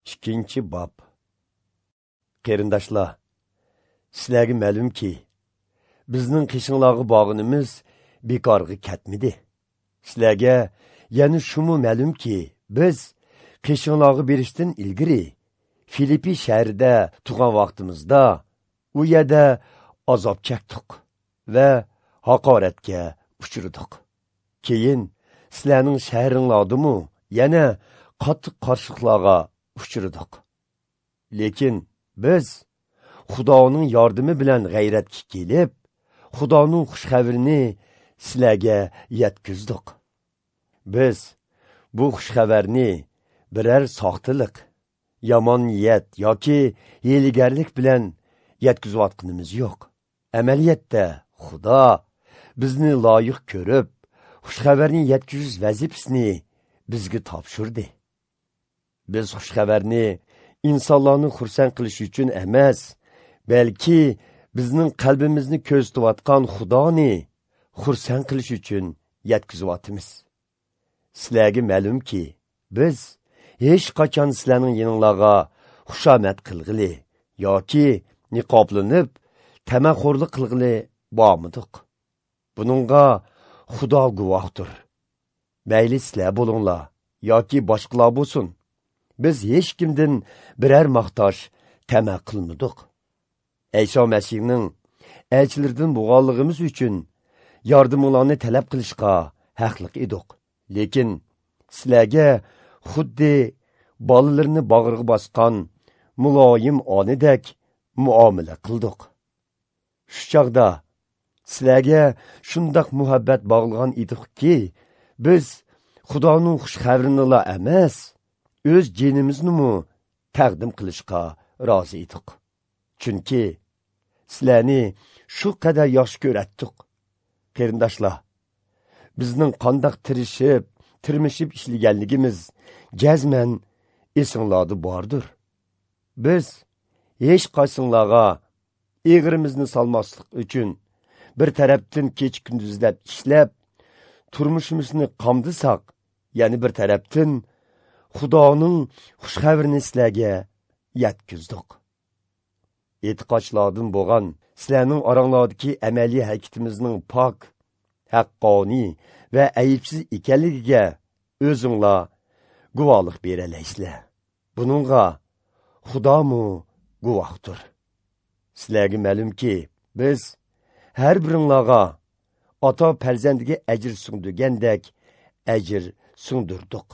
2-bob. Qarindoshlar, sizlarga ma'lumki, bizning qishinglarga bog'inimiz bekorga ketmidi. Sizlarga yana shumu ma'lumki, biz qishinglarga berishdan ilgari Filippi shahrida turgan vaqtimizda u yerda azob chekdik va haqoratga uchradik. Keyin sizlarning shahringlardimi yana qattiq qarshiliklarga uchradik. Lekin biz Xudoning yordami bilan g'ayratga kelib, Xudoning xush xabarini sizlarga yetkazdik. Biz bu xush xabarni biror soxtalik, yomon niyat yoki hiylagarlik bilan yetkazayotganimiz yo'q. Amaliyotda Xudo bizni loyiq ko'rib, xush xabarni yetkazish vazifasini bizga topshirdi. Biz xush xabarni insonlarni xursand qilish uchun emas, balki bizning qalbimizni ko'zlatayotgan Xudoni xursand qilish uchun yetkazyapmiz. Sizlarga ma'lumki, biz hech qachon sizlarning yeninglarga xushomat qilg'ili yoki niqoblanib tamaxo'rlik qilg'ili bormidik. Buningga Xudo guvohdir. Mayli sizlar bo'linglar yoki boshqalar bo'lsin, biz hech kimdan biror maqtash tama qilmadik. Ayso Masihning elchilaridan bo'lganligimiz uchun yordaminglarni talab qilishga haqliq edik. Lekin sizlarga xuddi bolalarini bag'riga bosgan muloyim onidek muomala qildik. Shu chog'da sizlarga shundoq muhabbat bog'lagan edikki, biz Xudoning xush xabarini emas, o'z jinimizni taqdim qilishga rozi edik. Chunki sizlarni shu qadar yaxshi ko'ratdik. Qarindoshlar, bizning qandoq tirishib, tirmishib ishlaganligimiz jazman esinglarda bordir. Biz hech qaysinglarga eg'irimizni solmaslik uchun bir tarafdan kecha kunduzlab ishlab, turmushimizni qamdisak, ya'ni bir tarafdan Xudoning xush xabarini sizlarga yetkazdik. E'tiqodchilardan bo'lgan sizlarning oranglardagi amaliy harakatimizning pok, haqqoniy va aybsiz ekanligiga o'zinglar guvohlik beralaysizlar. Buningga Xudomu guvohdir. Sizlarga ma'lumki, biz har biringlarga ota farzandiga ajr singdirgandek ajr singdirdik.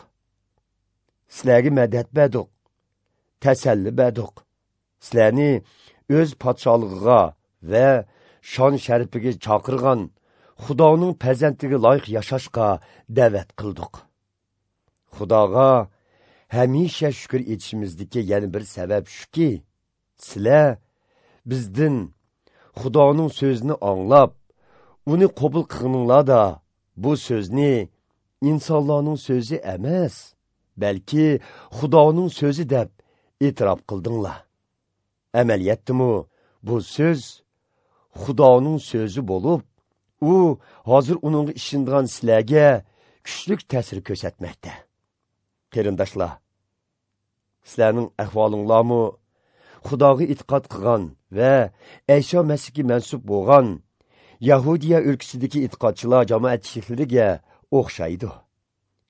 Sizlarga madad berdik, tasalli berdik. Sizlarni o'z podsholig'iga va shon sharifiga chaqirgan Xudoning farzandiga loyiq yashashga da'vat qildik. Xudoga hamisha shukr etishimizdagi yana bir sabab shuki, sizlar bizdan Xudoning so'zini anglab, uni qabul qilganinglarda bu so'zni insonlarning so'zi emas, balki Xudoning so'zi deb e'tirof qildinglar. Amaliyotdimi bu so'z Xudoning so'zi bo'lib, u hozir uningga ishongan sizlarga kuchli ta'sir ko'rsatmoqda. Qarindoshlar, sizlarning ahvolinglarmi Xudoga e'tiqod qilgan va Ayso Masihga mansub bo'lgan Yahudiya o'lkasidagi e'tiqodchilar jamoatchiliklariga o'xshaydi.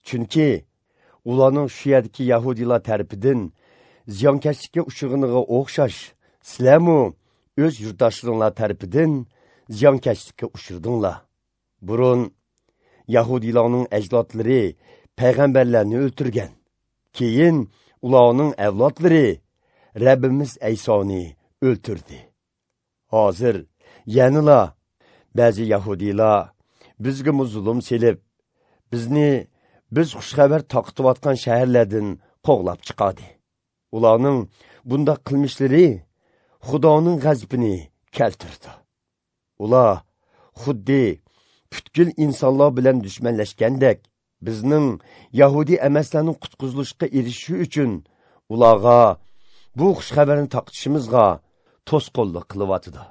Chunki ularning shu yerdagi yahudiylar tarafidan ziyonkashlikka uchraganiga o'xshash, sizlarmi o'z yurtdoshlaringlar tarafidan ziyonkashlikka uchradinglar. Burun yahudiylarning ajdodlari payg'ambarlarni o'ltirgan. Keyin ularning avlodlari Rabbimiz Aysoni o'ltirdi. Hozir yanala ba'zi yahudiylar bizga zulm selib, bizni biz xushxabar taqitayotgan shaharlardan qo'g'lab chiqadi. Ularning bundaq qilmishlari Xudoning g'azabini keltirdi. Ular xuddi butkul insonlar bilan dushmanlashgandek, bizning yahudi emaslarning qutqizilishga erishishi uchun ularga bu xushxabarni taqitishimizga to'sqinlik qilyotidi.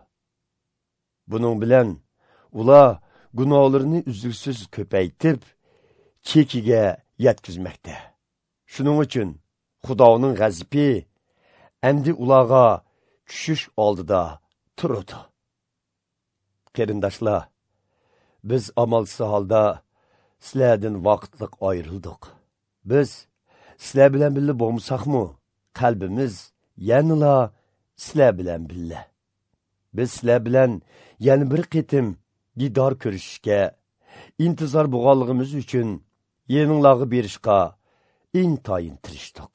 Buning bilan ular gunohlarini uzluksiz ko'paytirib, chekiga yetkazmoqda. Shuning uchun Xudoning g'azabi endi ularga tushish oldida turadi. Qarindoshlar, biz amalsiz holda sizlardan vaqtliq ayrildik. Biz sizlar bilan birga bo'lmasakmi, qalbimiz yanala sizlar bilan birga. Biz sizlar bilan yana bir qitim didor ko'rishishga intizor bo'lganligimiz uchun yeninglarga berishga intayin tirishdik.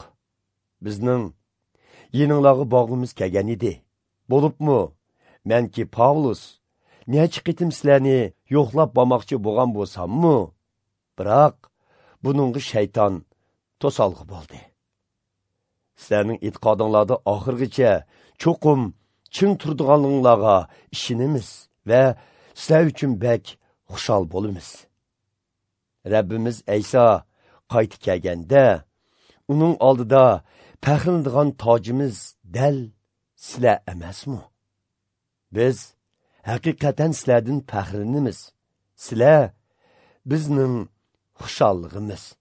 Bizning yeninglarga bog'imiz kelgan edi. Bo'libmi, menki Pavlus necha qitim sizlarni yo'qlab bormoqchi bo'lgan bo'lsammi, biroq buningga shayton to'solg'i bo'ldi. Sizlarning e'tiqodinglarda oxirgacha cho'qim ching turdiganliginglarga ishonamiz va sizlar uchun bak xushal bo'lamiz. Rabbimiz Ayso qaytib kelganda, uning oldida faxrlanadigan tojimiz dal sizlar emasmi? Biz haqiqatan sizlardan faxrlanamiz. Sizlar bizning xushalligimiz.